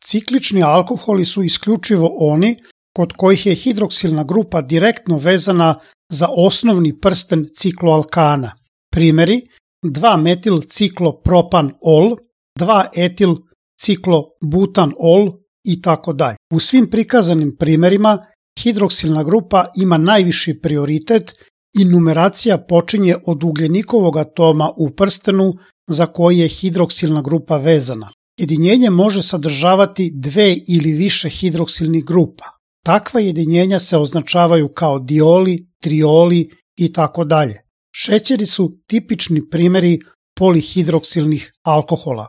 Ciklični alkoholi su isključivo oni kod kojih je hidroksilna grupa direktno vezana za osnovni prsten cikloalkana. Primjeri: 2-metil-ciklopropan-ol, 2-etil-ciklobutan-ol itd. U svim prikazanim primjerima hidroksilna grupa ima najviši prioritet i numeracija počinje od ugljenikovog atoma u prstenu za koji je hidroksilna grupa vezana. Jedinjenje može sadržavati dve ili više hidroksilnih grupa. Takva jedinjenja se označavaju kao dioli, trioli itd. Šećeri su tipični primjeri polihidroksilnih alkohola.